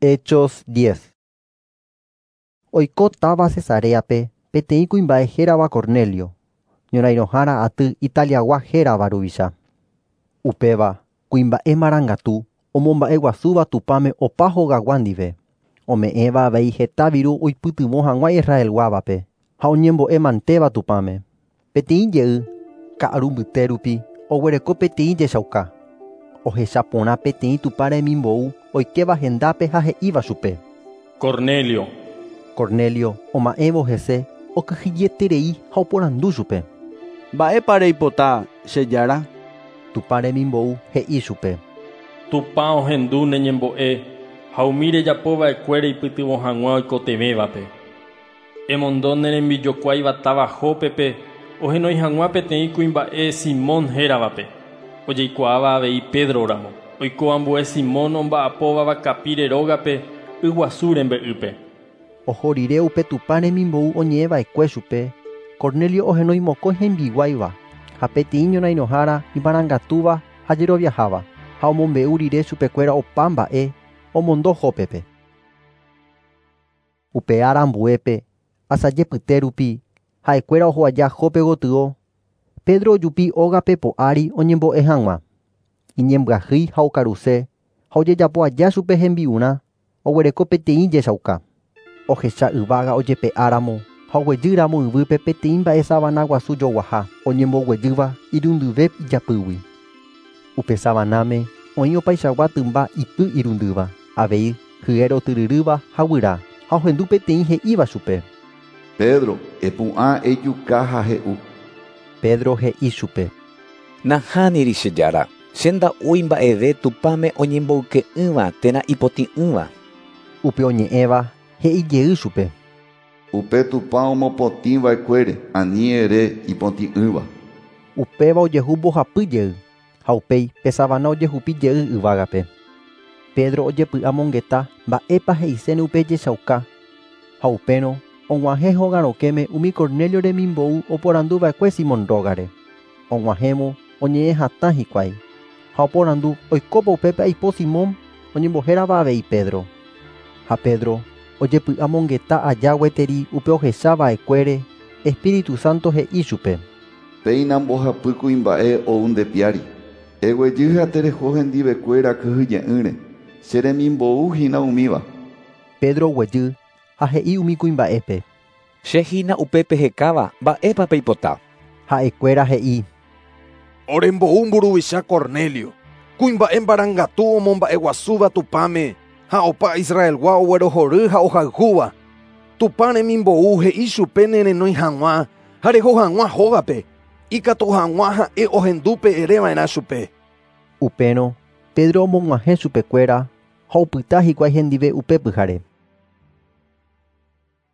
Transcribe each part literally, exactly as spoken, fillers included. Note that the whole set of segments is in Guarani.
Hechos diez. Oiko táva Cesareape peteĩ kuimba'e hérava Cornelio, ñorairõhára aty Italiagua hérava ruvicha. Upéva kuimba'e marangatu omomba'eguasúva Tupãme opa hogagua ndive, ome'ẽva avei heta viru oipytyvõ hag̃ua Israelguávape ha oñembo'emantéva Tupãme. Peteĩ jey ka'aru mbyte rupi oguereko peteĩ jechauka. Ohecha porã peteĩ Tupã remimbou oikéva hendápe ha he'íva chupe. Cornelio. Cornelio oma'ẽvo hese okyhyjeterei ha oporandu chupe. Mba'épa reipota che jára? Tupã remimbou he'i chupe. Tupã ohendu ne ñembo'e ha umi rejapova'ekue reipytyvõ hag̃ua oikotevẽvape. Emondo ne rembijokuáiva táva Jópepe ohenói hag̃ua peteĩ kuimba'e Simón héravape, ojeikuaáva avei Pedro ramo, oiko ambue Simón omba'apóva vakapíre rógape yguasu rembe'ýpe. Oho rire upe Tupã remimbou oñe'ẽva'ekue chupe, Cornelio ohenói mokõi hembiguáiva ha peteĩ ñorairõhára imarangatúva ha jeroviaháva, ha omombe'u rire chupekuéra opa mba'e omondo Jópepe. Upe ára ambuépe asajepyte rupi ha'ekuéra oho aja Jope gotyo, Pedro ojupi ógape po'ári oñembo'e hag̃ua. Iñembyahýi ha okaruse ha ojejapo aja chupe hembi'urã oguereko peteĩ jechauka. Ohecha yvága ojepe'áramo ha oguejýramo yvýpe peteĩ mba'e savana guasu joguaha oñemboguejýva irundyve ijapýgui. Upe savanáme oĩ opaichagua tymba ipy irundýva, avei hyére otyryrýva ha guyra, ha ohendu peteĩ he'íva chupe. Pedro, epu'ã ejuka ha he'u. Pedro he'i chupe. Nahániri che jára, che nda'úi mba'eve Tupãme oñemboyke'ỹva térã ipotĩ'ỹva. Upe oñe'ẽva he'i jey chupe. Upe Tupã omopotĩva'ekuére ani ere ipotĩ'ỹva. Upéva ojehu mbohapy jey ha upéi pe savana ojehupi jey yvágape. Pedro ojepy'amongeta mba'épa he'iséne upe jechauka ha upérõ og̃uahẽ hogarõkéme umi Cornelio remimbou oporanduva'ekue Simón rógare. Og̃uahẽvo oñe'ẽ hatã hikuái ha oporandu oikópa upépe aipo Simón oñembohérava avei Pedro. Ha Pedro ojepy'amongeta aja gueteri upe ohechava'ekuére Espíritu Santo he'i chupe. Péina mbohapy kuimba'e ou ndepiári. Eguejy ha tereho hendivekuéra kyhyje'ỹre. Che remimbou hína umíva. Pedro oguejy ha he'i umi kuimba'épe. Che hína upépe hekáva mba'épa peipota. Ha'ekuéra he'i. Orembou mburuvicha Cornelio, kuimba'e marangatu omomba'eguasúva Tupãme ha opa Israelgua oguerohory ha ohayhúva. Tupã remimbou he'i chupe nerenói hag̃ua ha reho hag̃ua hógape, ikatu hag̃ua ha'e ohendúpe ereva'erã chupe. Upérõ Pedro omog̃uahẽ chupekuéra ha opyta hikuái hendive upe pyhare.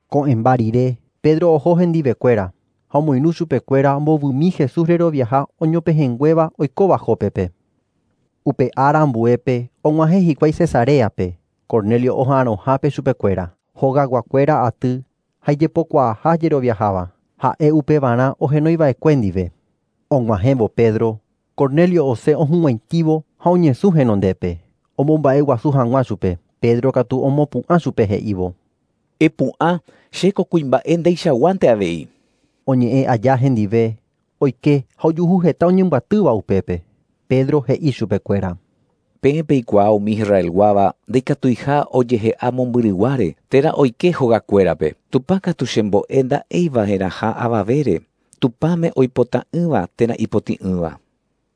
Ko'ẽmba rire Pedro oho hendivekuéra ha omoirũ chupekuéra ombovymi Jesús reroviaha oñopehẽnguéva oikóva Jópepe. Upe ára ambuépe og̃uahẽ hikuái Cesareape, Cornelio oha'arõhápe chupekuéra, hogaguakuéra aty ha ijepokuaaha jeroviaháva, ha'e upevarã ohenoiva'ekue ndive. Og̃uahẽvo Pedro, Cornelio osẽ ohug̃uaitĩvo ha oñesũ henondépe, omomba'eguasu hag̃ua chupe. Pedro katu omopu'ã chupe he'ívo. Epu'ã chéko kuimba'e ndeichaguánte avei. Oñe'ẽ aja hendive, oike ha ojuhu heta oñembyatýva upépe. Pedro he'i chupekuéra. Peẽ peikuaa umi Israelguáva ndaikatuiha ojehe'a mombyryguáre térã oike hogakuérape. Tupã katu chembo'e nda'eiva'erãha avavére, Tupãme oipota'ỹva térã ipotĩ'ỹva.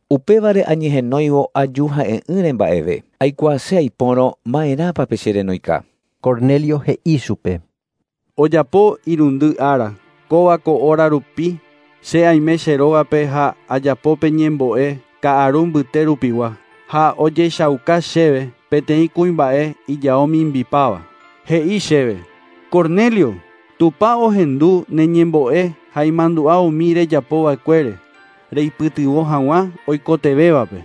Upévare añehenóivo aju ha'e'ỹre mba'eve. Aikuaase aipórõ ma'erãpa pe cherenoika. Cornelio he'i chupe. Ojapo irundy ára, kóva ko hora rupi, che aime che rógape ha ajapópe ñembo'e ka'aru mbyte rupigua. Ha ojechauka chéve peteĩ kuimba'e ijao mimbipáva. He'i chéve, Cornelio, Tupã ohendu ne ñembo'e ha imandu'a umi rejapova'ekuére, reipytyvõ hag̃ua oikotevẽvape.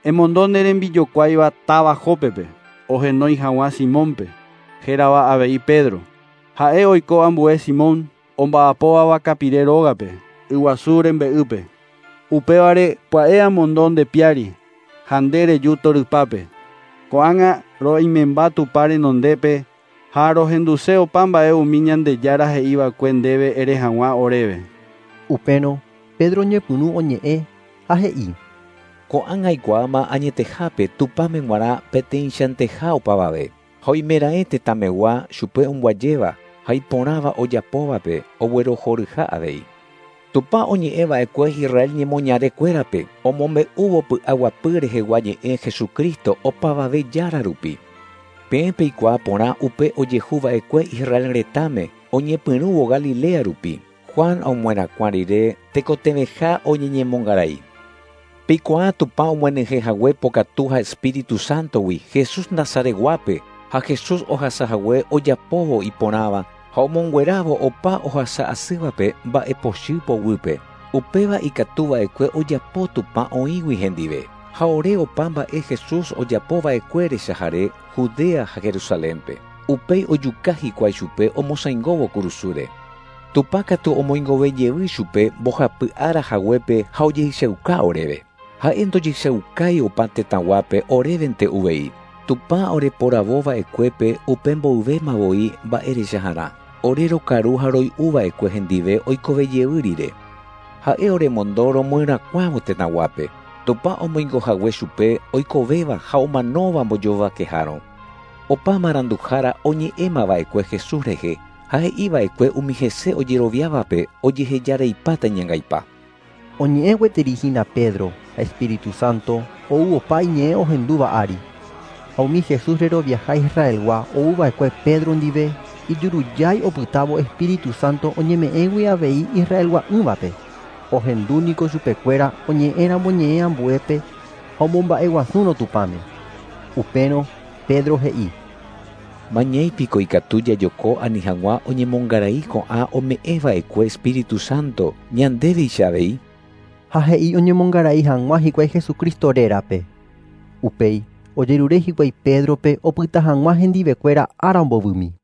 Emondo ne rembijokuáiva táva Jópepe, ohenói hag̃ua Simónpe, hérava avei Pedro. Ha'e oiko ambue Simón omba'apóva vakapire rógape, yguasu rembe'ýpe. Upévare pya'e amondo ndepiári ha nde reju torypápe. Ko'ág̃a roimemba Tupã renondépe ha rohenduse opa mba'e umi Ñandejára he'iva'ekue ndéve ere hag̃ua oréve. Upérõ Pedro oñepyrũ oñe'ẽ ha he'i: Ko'ág̃a aikuaáma añetehápe Tupãme g̃uarã peteĩchanteha opavave. Ha oimeraẽ tetãmegua chupe omboajéva ha iporãva ojapóvape oguerohoryha avei. Tupã oñe'ẽva'ekue Israel ñemoñarekuérape omombe'úvo py'aguapy rehegua ñe'ẽ Jesucristo opavave jára rupi. Peẽ peikuaa porã upe ojehuva'ekue Israel retãme oñepyrũvo Galilea rupi. Juan omoherakuã rire tekotevẽha oñeñemongarai. Peikuaa Tupã omyenyhẽhague pokatu ha Espíritu Santogui Jesús Nazaretguápe ha Jesús ohasahague ojapóvo iporãva ha omonguerávo opa ohasa'asývape mba'epochy poguýpe. Upéva ikatuva'ekue ojapo Tupã oĩgui hendive. Ha ore opa mba'e Jesús ojapova'ekue rechahare Judea ha Jerusalénpe. Upéi ojuka hikuái chupe omosãingóvo kurusúre. Tupã katu omoingovejey chupe mbohapy ára haguépe ha ojehechauka oréve. Ha'e ndojehechaukái opa tetãguápe orévente uvei. Tupã oreporavova'ekuépe upe mboyvéma voi mba'erechaharã. Ore rokaru ha roy'uva'ekue hendive oikovejey rire. Ha'e oremondo romoherakuãvo tetãguápe. Tupã omoingohague chupe oikovéva ha omanóva mbojovakehárõ. Opa maranduhára oñe'ẽmava'ekue Jesús rehe ha he'iva'ekue umi hese ojeroviávape ojehejareipáta iñangaipa. Oñe'ẽ gueteri hína Pedro ha Espíritu Santo ou opa iñe'ẽ ohendúva ári. Ha umi Jesús reroviaha Israelgua ouva'ekue Pedro ndive ijurujái opytávo Espíritu Santo oñeme'ẽgui avei Israelgua'ỹvape. Ohendúniko chupekuéra oñe'ẽramo ñe'ẽ ambuépe ha omomba'eguasúrõ Tupãme. Upérõ Pedro he'i: Mañeipiko ikatu jajoko ani hag̃ua oñemongarai ko'ã ome'ẽva'ekue Espíritu Santo ñandéveicha avei. Ha he'i oñemongarai hag̃ua hikuái Jesucristo rérape. Upéi ojerure hikuái Pedrope opyta hag̃ua hendivekuéra ára mbovymi.